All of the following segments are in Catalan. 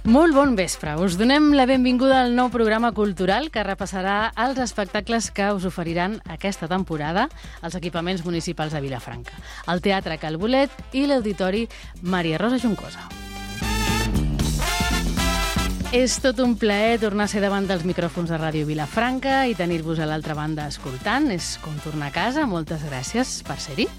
Molt bon vespre. Us donem la benvinguda al nou programa cultural que repassarà els espectacles que us oferiran aquesta temporada als equipaments municipals de Vilafranca, el Teatre Cal Bolet i l'Auditori Maria Rosa Juncosa. És tot un plaer tornar a ser davant dels micròfons de Ràdio Vilafranca i tenir-vos a l'altra banda escoltant. És com tornar a casa. Moltes gràcies per ser-hi.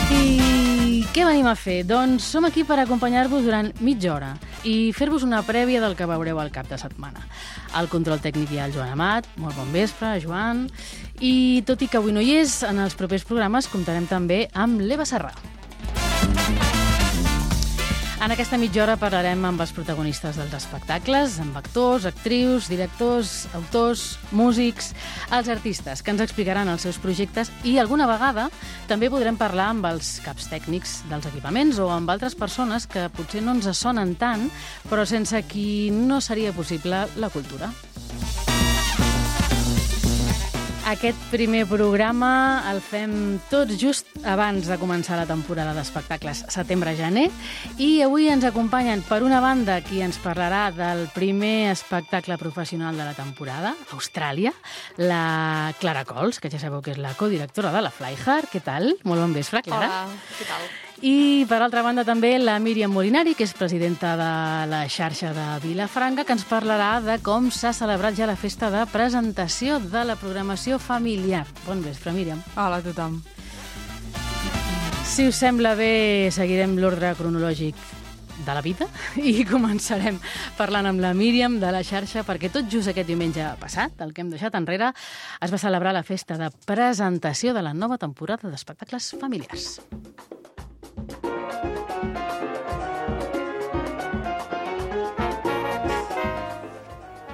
I què venim a fer? Doncs som aquí per acompanyar-vos durant mitja hora i fer-vos una prèvia del que veureu al cap de setmana. Al control tècnic hi ha el Joan Amat. Molt bon vespre, Joan. I tot i que avui no hi és, en els propers programes comptarem també amb l'Eva Serrà. En aquesta mitja hora parlarem amb els protagonistes dels espectacles, amb actors, actrius, directors, autors, músics, els artistes que ens explicaran els seus projectes i alguna vegada també podrem parlar amb els caps tècnics dels equipaments o amb altres persones que potser no ens sonen tant, però sense qui no seria possible la cultura. Aquest primer programa el fem tot just abans de començar la temporada d'espectacles setembre-gener i avui ens acompanyen, per una banda, qui ens parlarà del primer espectacle professional de la temporada, Austràlia, la Clara Cols, que ja sabeu que és la codirectora de la Fly Hard. Què tal? Molt bon vespre, Clara. Hola, què tal? I, per altra banda, també la Míriam Molinari, que és presidenta de la xarxa de Vilafranca, que ens parlarà de com s'ha celebrat ja la festa de presentació de la programació familiar. Bon vespre, Míriam. Hola a tothom. Si us sembla bé, seguirem l'ordre cronològic de la vida i començarem parlant amb la Míriam de la xarxa perquè tot just aquest diumenge passat, el que hem deixat enrere, es va celebrar la festa de presentació de la nova temporada d'espectacles familiars.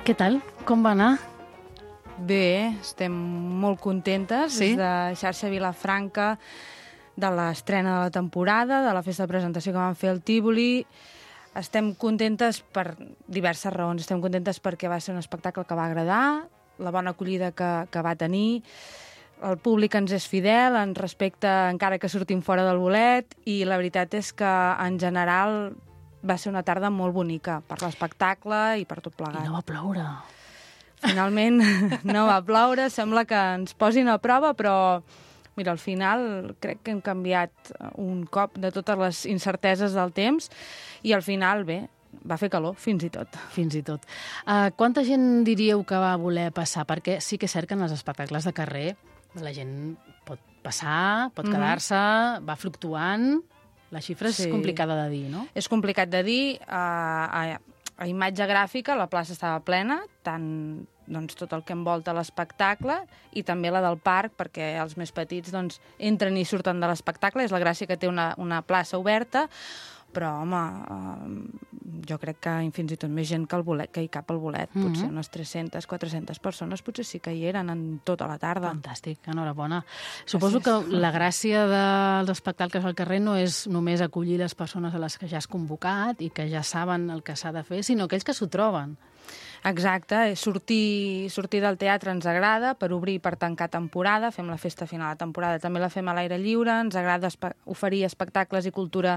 Què tal? Com va anar? Bé, estem molt contentes Sí? des de xarxa Vilafranca de l'estrena de la temporada, de la festa de presentació que vam fer al Tívoli. Estem contentes per diverses raons. Estem contentes perquè va ser un espectacle que va agradar, la bona acollida que va tenir, el públic ens és fidel, ens respecta encara que sortim fora del bolet i la veritat és que en general va ser una tarda molt bonica per l'espectacle i per tot plegat. I no va ploure. Finalment no va ploure, sembla que ens posin a prova, però mira, al final crec que hem canviat un cop de totes les incerteses del temps i al final, bé, va fer calor, fins i tot. Fins i tot. Quanta gent diríeu que va voler passar? Perquè sí que és cert que en els espectacles de carrer la gent pot passar, pot quedar-se, va fluctuant. La xifra és complicada de dir, no? És complicat de dir. A imatge gràfica la plaça estava plena, tant doncs, tot el que envolta l'espectacle i també la del parc, perquè els més petits doncs, entren i surten de l'espectacle. És la gràcia que té una plaça oberta, però, home, jo crec que fins i tot més gent que, que hi cap al bolet. Potser unes 300, 400 persones potser sí que hi eren en tota la tarda. Fantàstic, enhorabona. Suposo que la gràcia dels espectacles al carrer no és només acollir les persones a les que ja has convocat i que ja saben el que s'ha de fer, sinó aquells que s'ho troben. Exacte, sortir del teatre ens agrada per obrir i per tancar temporada, fem la festa final de temporada, també la fem a l'aire lliure, ens agrada oferir espectacles i cultura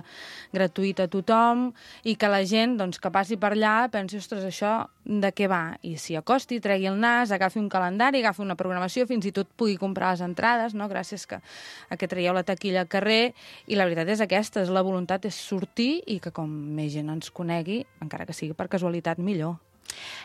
gratuïta a tothom i que la gent doncs, que passi per allà pensi, ostres, això de què va? I s'hi acosti, tregui el nas, agafi un calendari, agafi una programació, fins i tot pugui comprar les entrades, no? Gràcies a que traieu la taquilla al carrer i la veritat és aquesta, la voluntat és sortir i que com més gent ens conegui, encara que sigui per casualitat, millor.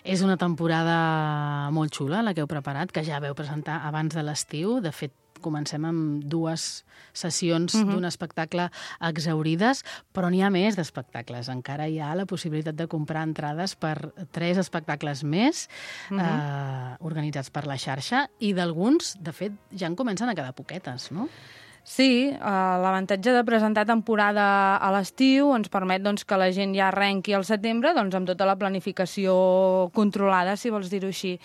És una temporada molt xula, la que heu preparat, que ja veu presentar abans de l'estiu. De fet, comencem amb 2 sessions d'un espectacle exhaurides, però n'hi ha més d'espectacles. Encara hi ha la possibilitat de comprar entrades per 3 espectacles més organitzats per la xarxa i d'alguns, de fet, ja en comencen a quedar poquetes, no? Sí, l'avantatge de presentar temporada a l'estiu ens permet doncs, que la gent ja arrenqui al setembre doncs, amb tota la planificació controlada, si vols dir-ho així.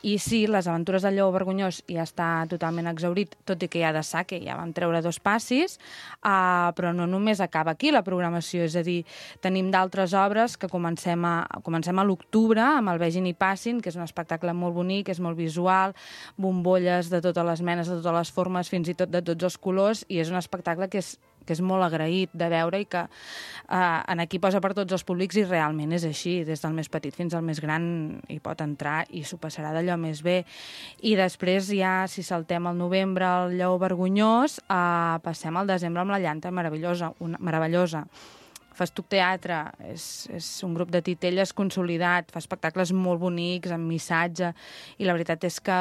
I sí, les aventures del Lleó Vergonyós ja està totalment exhaurit, tot i que hi ha de sa, que ja vam treure 2 passis, però no només acaba aquí la programació, és a dir, tenim d'altres obres que comencem a l'octubre amb el Vegin i Passin, que és un espectacle molt bonic, és molt visual, bombolles de totes les menes, de totes les formes, fins i tot de tots els colors, i és un espectacle que és és molt agraït de veure i que en aquí posa per tots els públics i realment és així, des del més petit fins al més gran hi pot entrar i s'ho passarà d'allò més bé. I després ja, si saltem al novembre el Lleó Vergonyós, passem al desembre amb La Llanta meravellosa. Festuc Teatre és un grup de titelles consolidat, fa espectacles molt bonics, amb missatge, i la veritat és que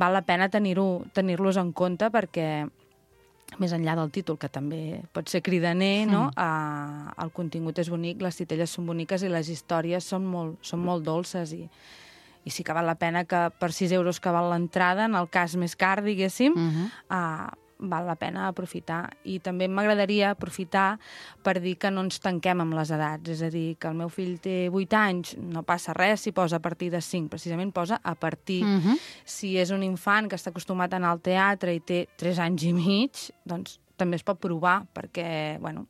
val la pena tenir-los en compte perquè, més enllà del títol, que també pot ser cridaner, no? El contingut és bonic, les titelles són boniques i les històries són molt dolces i sí que val la pena que per 6 euros que val l'entrada, en el cas més car, diguéssim, val la pena aprofitar. I també m'agradaria aprofitar per dir que no ens tanquem amb les edats. És a dir, que el meu fill té 8 anys, no passa res si posa a partir de 5, precisament posa a partir. Si és un infant que està acostumat a anar al teatre i té 3 anys i mig, doncs també es pot provar, perquè, bueno,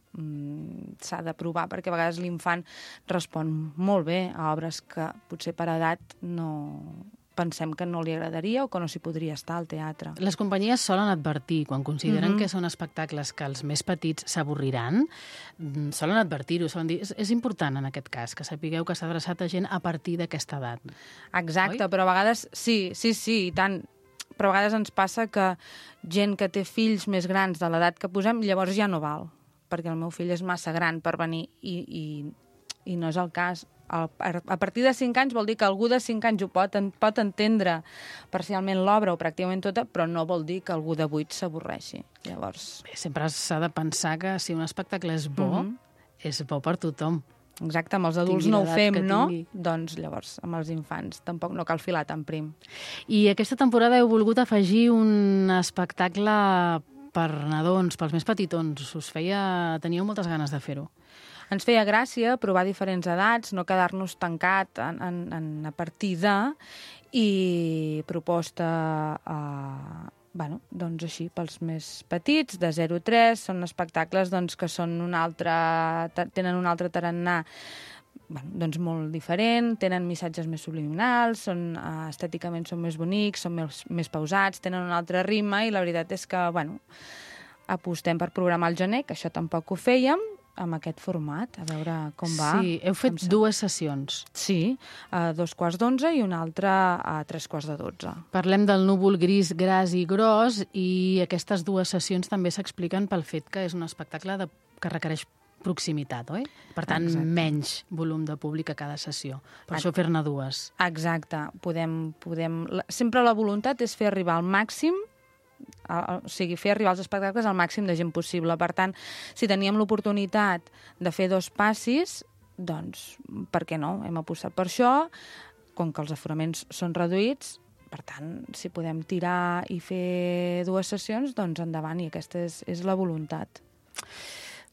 s'ha de provar, perquè a vegades l'infant respon molt bé a obres que potser per edat no pensem que no li agradaria o que no s'hi podria estar al teatre. Les companyies solen advertir, quan consideren que són espectacles que els més petits s'avorriran, solen advertir-ho, solen dir, és important en aquest cas, que sapigueu que s'ha adreçat a gent a partir d'aquesta edat. Exacte, oi? Però a vegades, sí, i tant, però a vegades ens passa que gent que té fills més grans de l'edat que posem, llavors ja no val, perquè el meu fill és massa gran per venir i no és el cas. A partir de 5 anys vol dir que algú de 5 anys ho pot entendre parcialment l'obra o pràcticament tota, però no vol dir que algú de 8 s'avorreixi. Llavors... Bé, sempre s'ha de pensar que si un espectacle és bo, és bo per tothom. Exacte, amb els adults no ho fem, no? Doncs llavors amb els infants tampoc no cal filar tan prim. I aquesta temporada heu volgut afegir un espectacle per nadons, pels més petitons. Teníeu moltes ganes de fer-ho. Ens feia gràcia provar diferents edats, no quedar-nos tancat a partir de, i proposta, doncs així, pels més petits, de 0 a 3, són espectacles doncs, que tenen un altre tarannà doncs molt diferent, tenen missatges més subliminals, estèticament són més bonics, són més pausats, tenen un altre ritme, i la veritat és que, apostem per programar el gener, que això tampoc ho fèiem, amb aquest format, a veure com va. Sí, heu fet 2 sessions. Sí, a 2:15 i una altra a 3:12. Parlem del núvol gris, gras i gros, i aquestes 2 sessions també s'expliquen pel fet que és un espectacle que requereix proximitat, oi? Per tant, menys volum de públic a cada sessió. Per això fer-ne 2. Exacte. Sempre la voluntat és fer arribar al màxim, o sigui, fer arribar els espectacles al màxim de gent possible. Per tant, si teníem l'oportunitat de fer 2 passis, doncs, per què no? Hem apostat per això, com que els aforaments són reduïts, per tant, si podem tirar i fer 2 sessions, doncs endavant, i aquesta és la voluntat.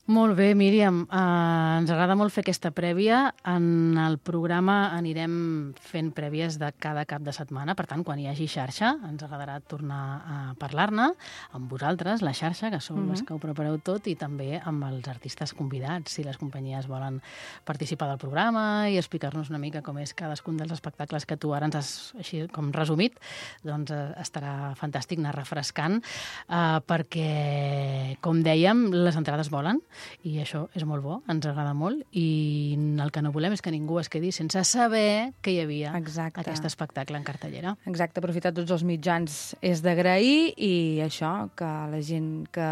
Molt bé, Míriam. Ens agrada molt fer aquesta prèvia. En el programa anirem fent prèvies de cada cap de setmana. Per tant, quan hi hagi xarxa, ens agradarà tornar a parlar-ne amb vosaltres, la xarxa, que sou les que ho prepareu tot, i també amb els artistes convidats, si les companyies volen participar del programa i explicar-nos una mica com és cadascun dels espectacles que tu ara ens has així com resumit, doncs estarà fantàstic anar refrescant, perquè, com dèiem, les entrades volen, i això és molt bo, ens agrada molt, i el que no volem és que ningú es quedi sense saber que hi havia aquest espectacle en cartellera. Exacte, aprofitar tots els mitjans és d'agrair, i això, que la gent que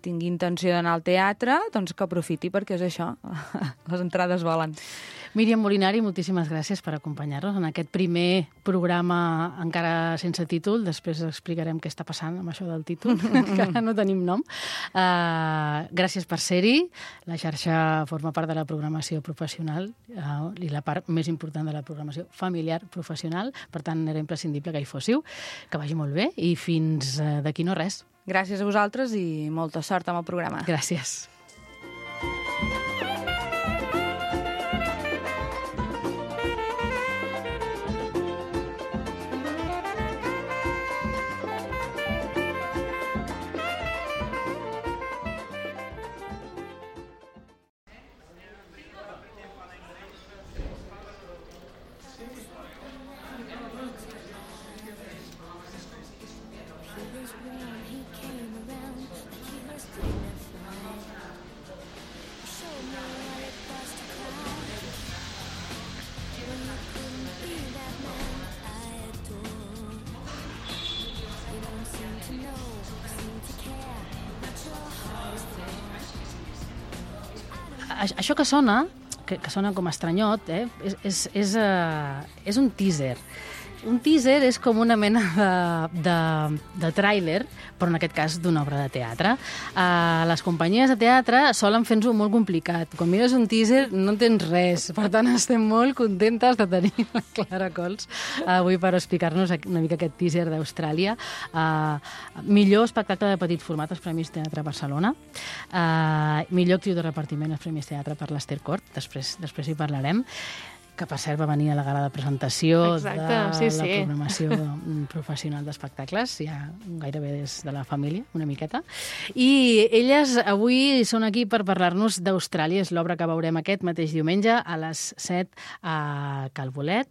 tingui intenció d'anar al teatre, doncs que aprofiti, perquè és això, les entrades volen. Míriam Molinari, moltíssimes gràcies per acompanyar-nos en aquest primer programa encara sense títol. Després explicarem què està passant amb això del títol, que encara no tenim nom. Gràcies per ser-hi. La xarxa forma part de la programació professional i la part més important de la programació familiar professional. Per tant, era imprescindible que hi fóssiu. Que vagi molt bé i fins d'aquí no res. Gràcies a vosaltres i molta sort amb el programa. Gràcies. Això que sona com estranyot, és un teaser. Un teaser és com una mena de tràiler, però en aquest cas d'una obra de teatre. Les companyies de teatre solen fer-nos-ho molt complicat. Quan mires un teaser no entens res. Per tant, estem molt contentes de tenir la Clara Cols avui per explicar-nos una mica aquest teaser d'Austràlia. Millor espectacle de petit format als Premis Teatre Barcelona. Millor actriu de repartiment als Premis Teatre per l'Ester Cort. Després hi parlarem. Que per cert va venir a la gala de presentació de la programació professional d'espectacles, ja gairebé des de la família, una miqueta. I elles avui són aquí per parlar-nos d'Austràlia. És l'obra que veurem aquest mateix diumenge a les 7 a Cal Bolet.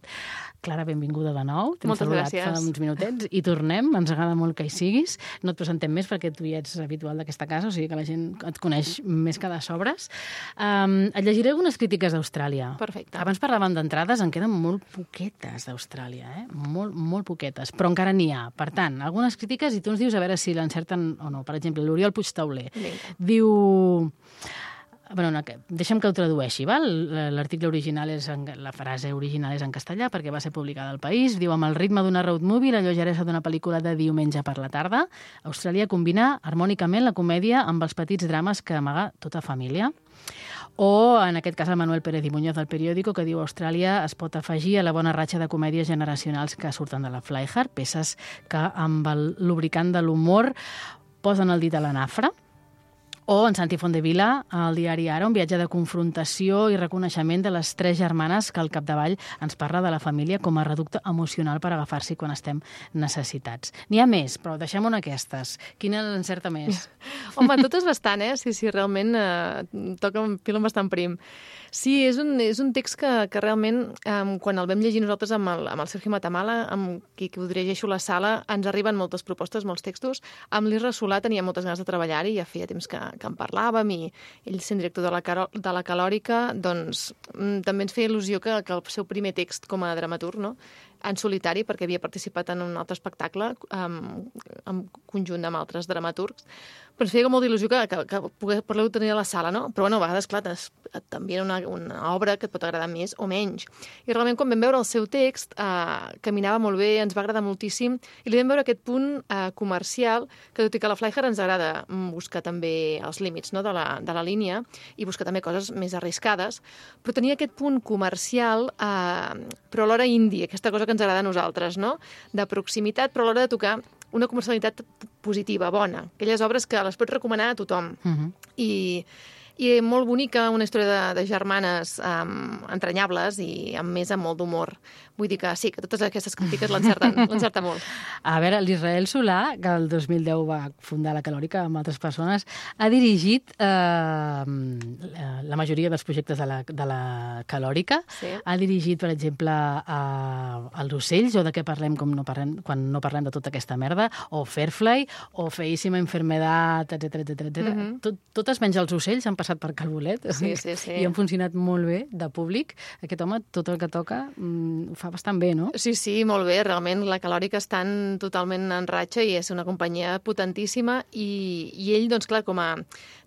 Clara, benvinguda de nou. Moltes gràcies. Fa uns minutets i tornem. Ens agrada molt que hi siguis. No et presentem més perquè tu ja ets habitual d'aquesta casa, o sigui que la gent et coneix més que de sobres. Et llegiré algunes crítiques d'Austràlia. Perfecte. Abans parlàvem d'entrades, en queden molt poquetes d'Austràlia, molt, molt poquetes, però encara n'hi ha. Per tant, algunes crítiques i tu ens dius a veure si l'encerten o no. Per exemple, l'Oriol Puigtauler diu... Bueno, deixa'm que ho tradueixi, val? L'article original la frase original és en castellà perquè va ser publicada al País. Diu, amb el ritme d'una road movie, la lleugeresa d'una pel·lícula de diumenge per la tarda, Austràlia combina harmònicament la comèdia amb els petits drames que amaga tota família. O, en aquest cas, el Manuel Pérez i Muñoz del Periódico, que diu Austràlia es pot afegir a la bona ratxa de comèdies generacionals que surten de la Fly Hard, peces que amb el lubricant de l'humor posen el dit a la nafra. O en Santi Fondevila, al diari Ara, un viatge de confrontació i reconeixement de les tres germanes que al capdavall ens parla de la família com a reducte emocional per agafar-s'hi quan estem necessitats. N'hi ha més, però deixem-ho en aquestes. Quina l'encerta més? Home, totes bastant, Sí, realment toca un fil bastant prim. Sí, és un text que realment, quan el vam llegir nosaltres amb el Sergio Matamala, amb qui ho dirigeixo a la sala, ens arriben moltes propostes, molts textos. Amb l'Isra Solà tenia moltes ganes de treballar-hi, ja feia temps que en parlàvem, i ell, sent director de la Calòrica, doncs també ens feia il·lusió que el seu primer text com a dramaturg, no?, en solitari, perquè havia participat en un altre espectacle en conjunt amb altres dramaturgs, però ens feia molt d'il·lusió que poder tenir a la sala, no? Però, bueno, a vegades, clar, també era una obra que et pot agradar més o menys. I realment, quan vam veure el seu text, caminava molt bé, ens va agradar moltíssim, i li vam veure aquest punt comercial, que tot i que a la Fly Hard ens agrada buscar també els límits, no?, de la línia, i buscar també coses més arriscades, però tenia aquest punt comercial, però alhora indie, aquesta cosa que ens agrada a nosaltres, no?, de proximitat, però a l'hora de tocar una comercialitat positiva, bona. Aquelles obres que les pots recomanar a tothom. I molt bonica, una història de germanes entranyables i amb molt d'humor. Vull dir que sí, que totes aquestes crítiques l'encerten molt. A veure, l'Israel Solà, que el 2010 va fundar la Calòrica amb altres persones, ha dirigit la majoria dels projectes de la Calòrica. Sí. Ha dirigit, per exemple, Els ocells, o de què parlem quan no parlem de tota aquesta merda, o Fairfly, o Feíssima enfermedad, etc. Totes menys Els ocells han passat per Cal Bolet. Sí. I han funcionat molt bé de públic. Aquest home, tot el que toca, ho fa bastant bé, no? Sí, molt bé. Realment la Calòrica estan totalment en ratxa i és una companyia potentíssima i ell, doncs clar,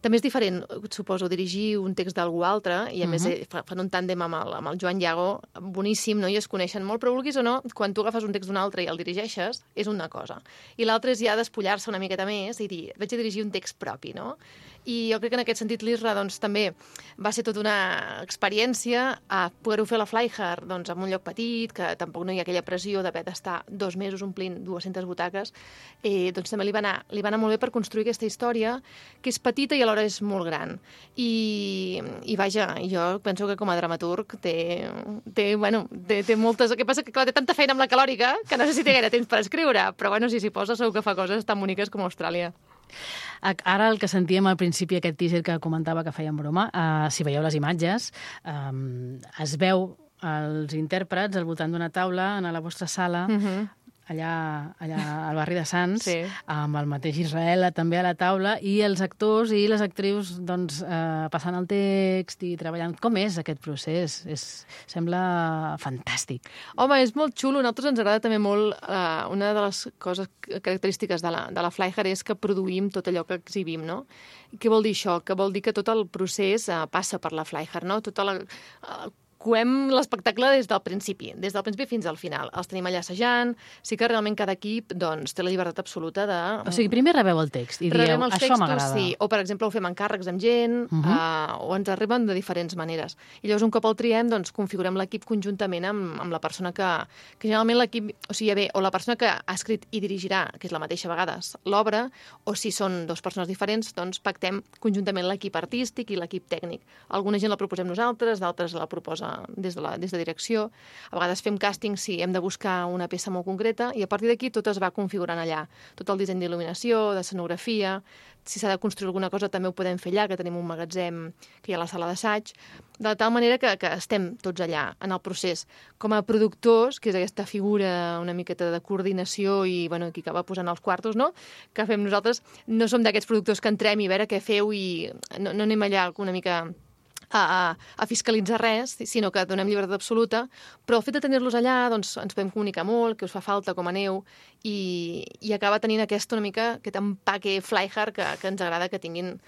també és diferent, suposo, dirigir un text d'algú altre i a més fan un tàndem amb el Joan Llago boníssim, no? I es coneixen molt, però vulguis o no, quan tu agafes un text d'un altre i el dirigeixes, és una cosa. I l'altra és ja despullar-se una miqueta més i dir, vaig a dirigir un text propi, no? I jo crec que en aquest sentit l'Isra doncs, també va ser tota una experiència a poder-ho fer a la Fly Hard doncs, en un lloc petit, que tampoc no hi ha aquella pressió d'haver d'estar 2 mesos omplint 200 butaques, doncs també li va anar molt bé per construir aquesta història, que és petita i alhora és molt gran. I vaja, jo penso que com a dramaturg té moltes... El que passa que, clar, té tanta feina amb la Calòrica que no sé si té gaire temps per escriure, però bueno, si s'hi posa segur que fa coses tan boniques com Austràlia. Ara el que sentíem al principi, aquest teaser que comentava que feien broma, si veieu les imatges, es veu els intèrprets al voltant d'una taula a la vostra sala, allà al barri de Sants, Sí. amb el mateix Israel també a la taula, i els actors i les actrius doncs, passant el text i treballant. Com és aquest procés? Sembla fantàstic. Home, és molt xulo. A nosaltres ens agrada també molt... una de les coses característiques de la Flyhard és que produïm tot allò que exhibim, no? Què vol dir això? Que vol dir que tot el procés passa per la Flyhard, no? Coem l'espectacle des del principi fins al final. Els tenim allà assajant, sí que realment cada equip doncs, té la llibertat absoluta de... O sigui, primer rebeu el text i dieu, això m'agrada. Sí. O, per exemple, ho fem encàrrecs amb gent, o ens arriben de diferents maneres. I llavors, un cop el triem, doncs, configurem l'equip conjuntament amb la persona que generalment l'equip... O sigui, o la persona que ha escrit i dirigirà, que és la mateixa a vegades, l'obra, o si són dues persones diferents, doncs pactem conjuntament l'equip artístic i l'equip tècnic. Alguna gent la proposem nosaltres, d'altres la proposa des de direcció. A vegades fem càsting si hem de buscar una peça molt concreta i a partir d'aquí tot es va configurant allà. Tot el disseny d'il·luminació, d'escenografia, si s'ha de construir alguna cosa també ho podem fer allà, que tenim un magatzem que hi ha a la sala d'assaig, de tal manera que estem tots allà en el procés. Com a productors, que és aquesta figura una miqueta de coordinació i qui acaba posant els quartos, no? Que fem nosaltres, no som d'aquests productors que entrem i a veure què feu i no anem allà una mica a fiscalitzar res, sinó que donem llibertat absoluta, però el fet de tenir-los allà doncs, ens podem comunicar molt, que us fa falta, com aneu, i acaba tenint aquest empaque Flyhard que ens agrada que tinguin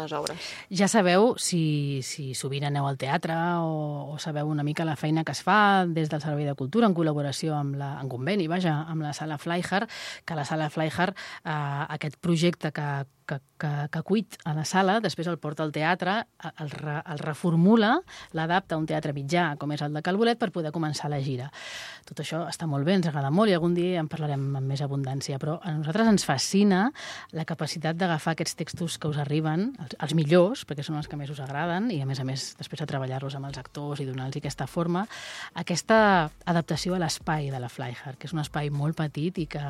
les obres. Ja sabeu, si sovint aneu al teatre o sabeu una mica la feina que es fa des del Servei de Cultura en col·laboració en conveni, amb la Sala Flyhard, que la Sala Flyhard, aquest projecte que cuit a la sala, després el porta al teatre, el reformula, l'adapta a un teatre mitjà, com és el de Cal Bolet, per poder començar la gira. Tot això està molt bé, ens agrada molt i algun dia en parlarem amb més abundància, però a nosaltres ens fascina la capacitat d'agafar aquests textos que us arriben, els millors, perquè són els que més us agraden, i a més després de treballar-los amb els actors i donar-los aquesta forma, aquesta adaptació a l'espai de la Flyhard, que és un espai molt petit i que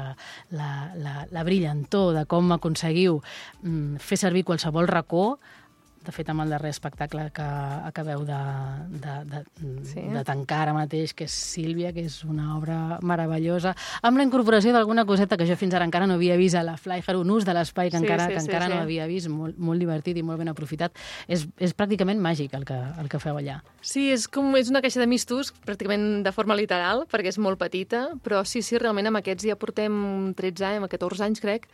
la brillantor de com aconseguiu fer servir qualsevol racó. De fet, amb el darrer espectacle que acabeu de tancar ara mateix, que és Sílvia, que és una obra meravellosa, amb la incorporació d'alguna coseta que jo fins ara encara no havia vist a la Flyhard, un ús de l'espai que encara no havia vist, molt divertit i molt ben aprofitat. És pràcticament màgic el que feu allà. Sí, és una caixa de mistos, pràcticament de forma literal, perquè és molt petita, però sí, realment amb aquests ja portem 13 anys, 14 anys, crec,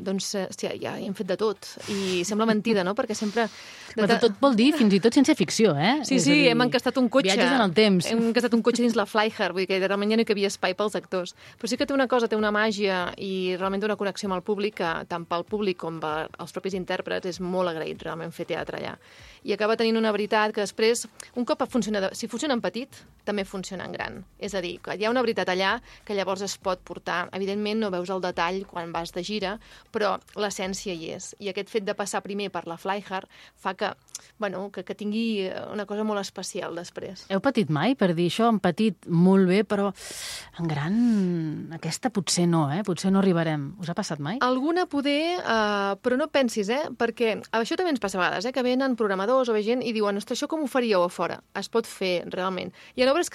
doncs ja hem fet de tot. I sembla mentida, no?, perquè sempre... Però tot vol dir fins i tot ciència-ficció, eh? Sí, hem encastat un cotxe. Viatges en el temps. Hem encastat un cotxe dins la Flyhard, vull dir que realment ja no hi havia espai pels actors. Però sí que té una màgia i realment té una connexió amb el públic que tant pel públic com pels propis intèrprets és molt agraït realment fer teatre allà. I acaba tenint una veritat que després, un cop si funciona en petit, també funciona en gran. És a dir, que hi ha una veritat allà que llavors es pot portar. Evidentment no veus el detall quan vas de gira, però l'essència hi és. I aquest fet de passar primer per la Flyhard fa que tingui una cosa molt especial després. Heu patit mai per dir això? En petit molt bé, però en gran aquesta potser no, potser no arribarem. Us ha passat mai? Alguna poder, però no pensis, perquè això també ens passa a vegades, que venen programadors o ve gent i diuen, ostres, això com ho faríeu a fora? Es pot fer, realment. Hi ha obres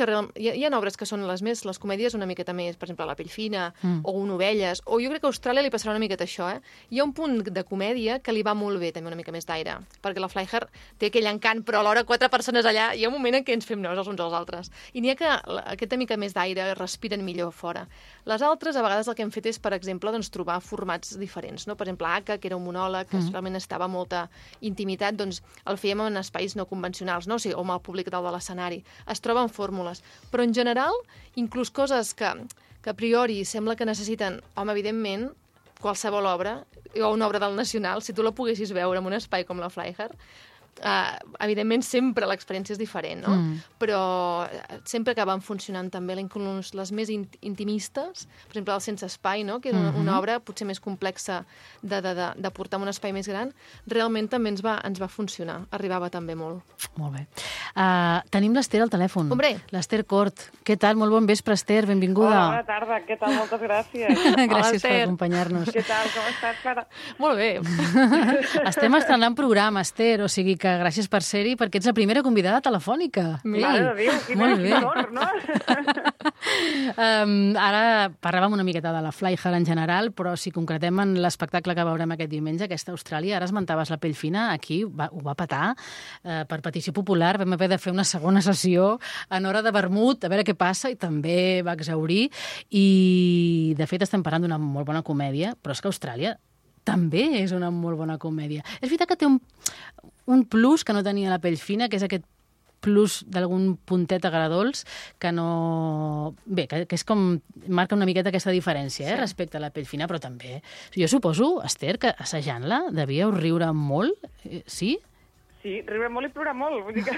que són les comèdies una miqueta més, per exemple, La pell fina, o Un ovelles, o jo crec que a Austràlia li passarà una miqueta això, Hi ha un punt de comèdia que li va molt bé, també una mica més d'aire, perquè la Flyhard té aquell encant, però alhora 4 persones allà, hi ha un moment en què ens fem nous els uns als altres. I n'hi ha que aquesta mica més d'aire respiren millor fora. Les altres, a vegades el que hem fet és, per exemple, doncs, trobar formats diferents, no? Per exemple, Aka, que era un monòleg, que realment estava molta intimitat, doncs el fèiem en espais no convencionals, no? O sigui, amb el públic dalt de l'escenari. Es troben fórmules. Però en general, inclús coses que a priori sembla que necessiten, evidentment, qualsevol obra, o una obra del Nacional, si tu la poguessis veure en un espai com la Flyhard, evidentment sempre l'experiència és diferent, no? Però sempre acaben funcionant també inclús les més intimistes, per exemple el Sense espai, no? Que era una obra potser més complexa de portar en un espai més gran, realment també ens va funcionar, arribava també molt. Molt bé. Tenim l'Ester al telèfon. Hombre. L'Ester Cort. Què tal? Molt bon vespre, Ester, benvinguda. Hola, bona tarda, què tal? Moltes gràcies. Gràcies per acompanyar-nos. Què tal, com estàs, Clara? Molt bé. Estem estrenant programa, Ester, o sigui que gràcies per ser-hi, perquè ets la primera convidada telefònica. Mare de Déu, quin honor, no? Ara parlàvem una miqueta de la Fly-Her en general, però si concretem en l'espectacle que veurem aquest diumenge, aquesta Austràlia, ara esmentaves la Pell Fina, aquí ho va petar. Per petició popular vam haver de fer una segona sessió en hora de vermut, a veure què passa, i també va exhaurir. I, de fet, estem parlant d'una molt bona comèdia, però és que Austràlia també és una molt bona comèdia. És veritat que té un plus que no tenia la Pell Fina, que és aquest plus d'algun puntet agradolç que no... Bé, que és com... marca una miqueta aquesta diferència, respecte a la Pell Fina, però també... Jo suposo, Esther, que assajant-la devíeu riure molt, sí? Sí, riure molt i plorar molt, vull dir que...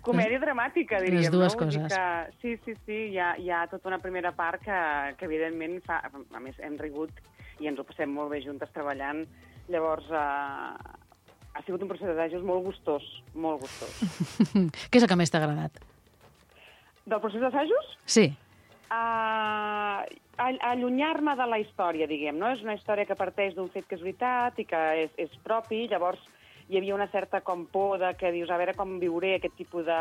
Comèdia dramàtica, diríem. Les dues no? coses. Sí, hi ha tota una primera part que evidentment, a més, hem rigut i ens ho passem molt bé juntes treballant. Llavors, ha sigut un procés d'assajos molt gustós, molt gustós. Què és el que més t'ha agradat? Del procés d'assajos? Sí. Allunyar-me de la història, diguem, no? És una història que parteix d'un fet que és veritat i que és propi, llavors hi havia una certa com por de que dius, a veure com viuré aquest tipus de...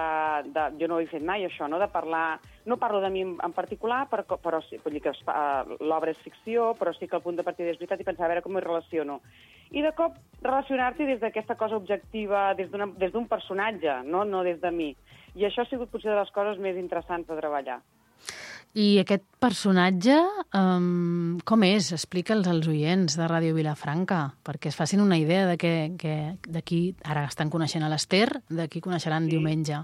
Jo no ho he fet mai, això, no? De parlar... No parlo de mi en particular, però sí, vull dir que l'obra és ficció, però sí que el punt de partida és veritat i pensar a veure com m'hi relaciono. I de cop relacionar-t'hi des d'aquesta cosa objectiva, des d'un personatge, no des de mi. I això ha sigut potser de les coses més interessants de treballar. I aquest personatge, com és? Explica'ls als oients de Ràdio Vilafranca, perquè es facin una idea de que d'aquí, ara estan coneixent a l'Esther, d'aquí coneixeran diumenge.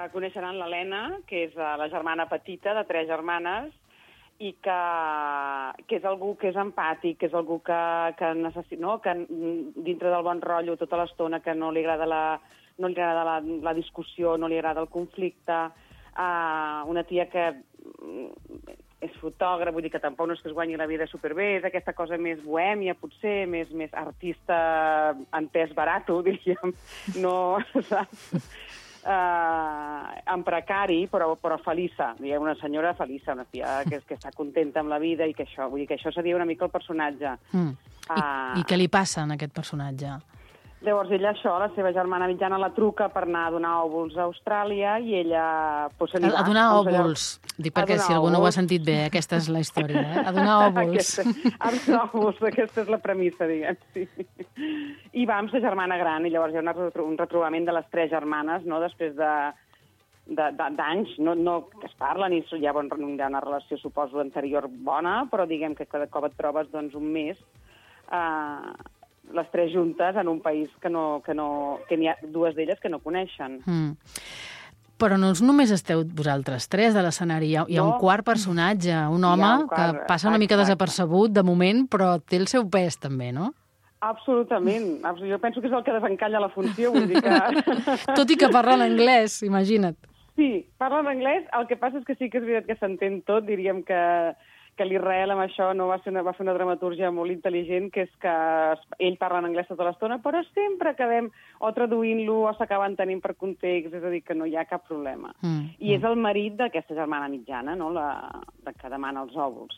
Coneixeran l'Helena, que és la germana petita de 3 germanes, i que és algú que és empàtic, que és algú que necessita, no? Que dintre del bon rotllo tota l'estona, que no li agrada la discussió, no li agrada el conflicte, una tia que és fotògraf, vull dir que tampoc no és que es guanyi la vida superbé, és aquesta cosa més bohèmia, potser, més artista en pes barato, diríem, no, saps? En precari, però feliça, diguem, una senyora feliça, una tia que està contenta amb la vida i que això, vull dir que això seria una mica el personatge. I què li passa a aquest personatge? Llavors ella la seva germana mitjana la truca per anar a donar òvuls a Austràlia i ella... A donar òvuls. Dic perquè si algú no ho ha sentit bé, aquesta és la història, A donar òvuls. A donar òvuls, aquesta és la premissa, diguem, sí. I va amb sa germana gran, i llavors hi ha un retrobament de les 3 germanes, no?, després d'anys, no que es parlen, i hi ha una relació, suposo, anterior bona, però diguem que cada cop et trobes, doncs, un mes les 3 juntes en un país que n'hi ha 2 d'elles que no coneixen. Però no només esteu vosaltres 3 de l'escenari, hi ha un quart personatge, un home que passa una mica desapercebut de moment, però té el seu pes també, no? Absolutament. Jo penso que és el que desencalla la funció, vull dir que... Tot i que parla en anglès, imagina't. Sí, parla en anglès, el que passa és que sí que és veritat que s'entén tot, diríem que l'Israel amb això no va fer una dramatúrgia molt intel·ligent, que és que ell parla en anglès tota l'estona, però sempre acabem o traduint-lo o s'acaben tenint per context, és a dir, que no hi ha cap problema. I és el marit d'aquesta germana mitjana, no?, que demana els òvuls.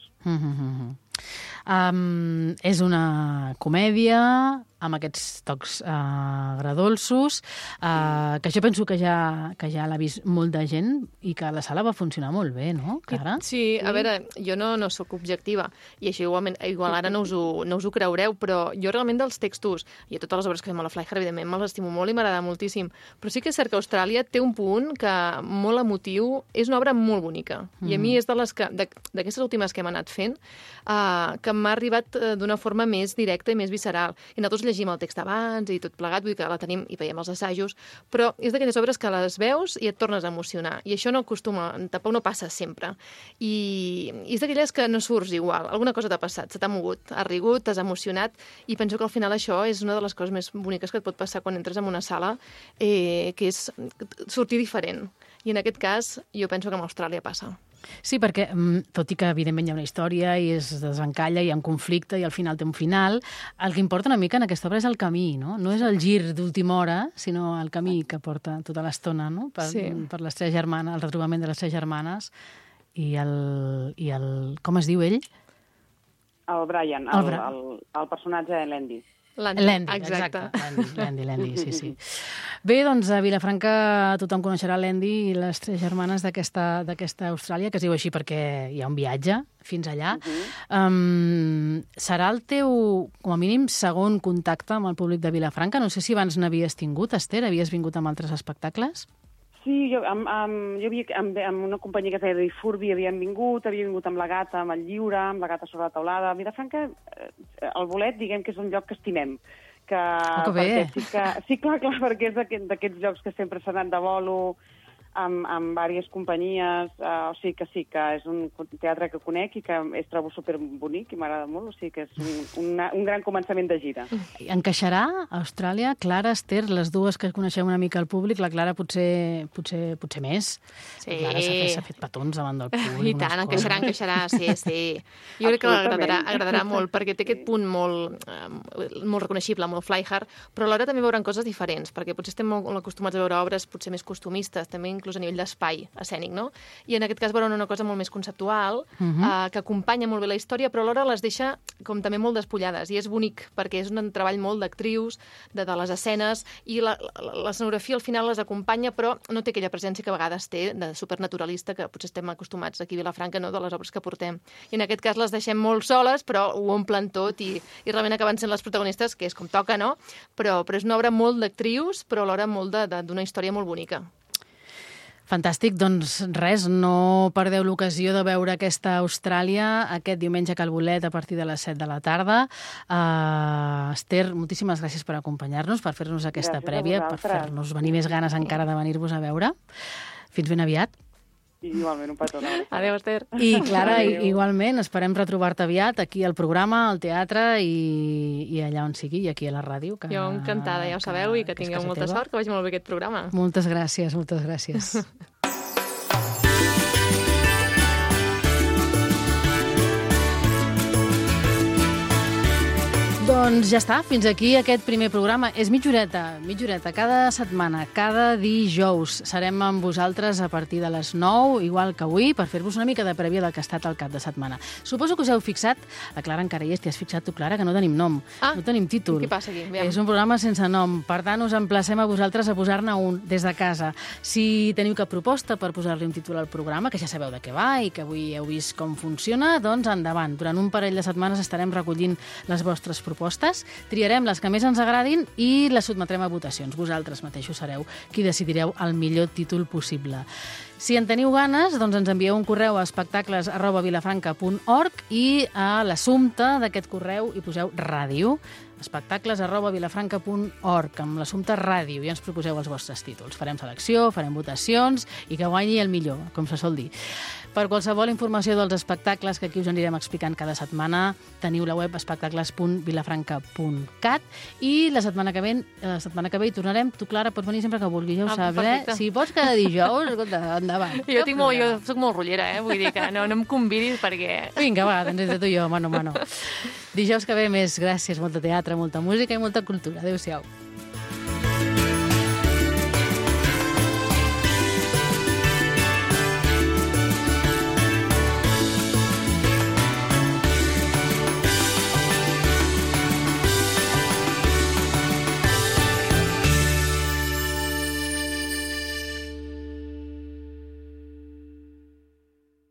És una comèdia amb aquests tocs agredolços, que jo penso que ja l'ha vist molt de gent i que la sala va funcionar molt bé, no, Clara? Sí, a veure, jo no sóc objectiva i això igual ara no us ho creureu, però jo realment dels textos, i a totes les obres que fem a la Fly-Her, evidentment me'ls estimo molt i m'agrada moltíssim, però sí que és cert que Austràlia té un punt que molt emotiu, és una obra molt bonica, i a mi és d'aquestes últimes que hem anat fent, que m'ha arribat d'una forma més directa i més visceral. I nosaltres llegim el text abans i tot plegat, vull dir que la tenim i veiem els assajos, però és d'aquelles obres que les veus i et tornes a emocionar. I això tampoc no passa sempre. I és d'aquelles que no surts igual. Alguna cosa t'ha passat, se t'ha mogut, has rigut, t'has emocionat, i penso que al final això és una de les coses més boniques que et pot passar quan entres en una sala, que és sortir diferent. I en aquest cas, jo penso que amb Austràlia passa. Sí, perquè tot i que evidentment hi ha una història i es desencalla, hi ha un conflicte i al final té un final, el que importa una mica en aquesta obra és el camí, no? No és el gir d'última hora, sinó el camí que porta tota l'estona, no? Per les 3 germanes, el retrobament de les 3 germanes i el... Com es diu ell? El Brian, el personatge de l'Andy. L'Andy, exacte. L'Andy, sí. Bé, doncs a Vilafranca tothom coneixerà l'Andy i les 3 germanes d'aquesta Austràlia, que es diu així perquè hi ha un viatge fins allà. Serà el teu, com a mínim, segon contacte amb el públic de Vilafranca? No sé si abans n'havies tingut, Esther, havies vingut amb altres espectacles? Sí, jo amb una companyia que es deia Furby havia vingut amb la Gata, amb el Lliure, amb la Gata sobre la taulada. A Vilafranca, el Bolet, diguem que és un lloc que estimem. Que bé! Sí, clar, perquè és d'aquests llocs que sempre s'han anat de bolo, amb diverses companyies, o sigui que sí, que és un teatre que conec i que trobo superbonic i m'agrada molt, o sigui que és un gran començament de gira. Encaixarà a Austràlia? Clara, Esther, les dues que coneixeu una mica al públic, la Clara potser més. Sí. La Clara s'ha fet petons davant del públic. I tant, encaixarà, sí. Jo crec que l'agradarà molt, perquè té aquest punt molt reconeixible, molt fly hard, però alhora també veuran coses diferents, perquè potser estem molt acostumats a veure obres potser més costumistes, també inclús a nivell d'espai escènic, no? I en aquest cas veuran una cosa molt més conceptual, que acompanya molt bé la història, però alhora les deixa com també molt despullades, i és bonic, perquè és un treball molt d'actrius, de les escenes, i l'escenografia al final les acompanya, però no té aquella presència que a vegades té de supernaturalista, que potser estem acostumats aquí a Vilafranca, no?, de les obres que portem. I en aquest cas les deixem molt soles, però ho omplen tot, i realment acaben sent les protagonistes, que és com toca, no? Però és una obra molt d'actrius, però alhora molt d'una història molt bonica. Fantàstic, doncs res, no perdeu l'ocasió de veure aquesta Austràlia aquest diumenge a Cal Bolet a partir de les 7 de la tarda. Esther, moltíssimes gràcies per acompanyar-nos, per fer-nos aquesta prèvia, per fer-nos venir més ganes encara de venir-vos a veure. Fins ben aviat. Igualment, un petó. Adéu, Esther. I Clara, igualment, esperem retrobar-te aviat aquí al programa, al teatre i allà on sigui, i aquí a la ràdio. Jo encantada, ja ho sabeu, i que tingueu molta sort, que vagi molt bé aquest programa. Moltes gràcies, moltes gràcies. Doncs ja està, fins aquí aquest primer programa. És mitjoreta, cada setmana, cada dijous. Serem amb vosaltres a partir de les 9, igual que avui, per fer-vos una mica de prèvia del que ha estat el cap de setmana. Suposo que us heu fixat, la Clara encara hi és, t'hi has fixat tu, Clara, que no tenim nom, no tenim títol. Què passa aquí? És un programa sense nom, per tant us emplacem a vosaltres a posar-ne un des de casa. Si teniu cap proposta per posar-li un títol al programa, que ja sabeu de què va i que avui heu vist com funciona, doncs endavant. Durant un parell de setmanes estarem recollint les vostres propostes, triarem les que més ens agradin i les sotmetrem a votacions. Vosaltres mateixos sereu qui decidireu el millor títol possible. Si en teniu ganes, doncs ens envieu un correu a espectacles@vilafranca.org i a l'assumpte d'aquest correu hi poseu ràdio, espectacles@vilafranca.org, amb l'assumpte ràdio, i ens proposeu els vostres títols. Farem selecció, farem votacions i que guanyi el millor, com se sol dir. Per qualsevol informació dels espectacles que aquí us anirem explicant cada setmana, teniu la web espectacles.vilafranca.cat i la setmana que ve hi tornarem. Tu, Clara, pots venir sempre que vulguis, ja ho saps, Si pots cada dijous, escolta, endavant. Jo soc molt rotllera, vull dir que no em convidis perquè... Vinga, va, doncs entre tu i jo, mano a mano. Dijous que ve més. Gràcies, molta teatre, molta música i molta cultura. Adéu-siau.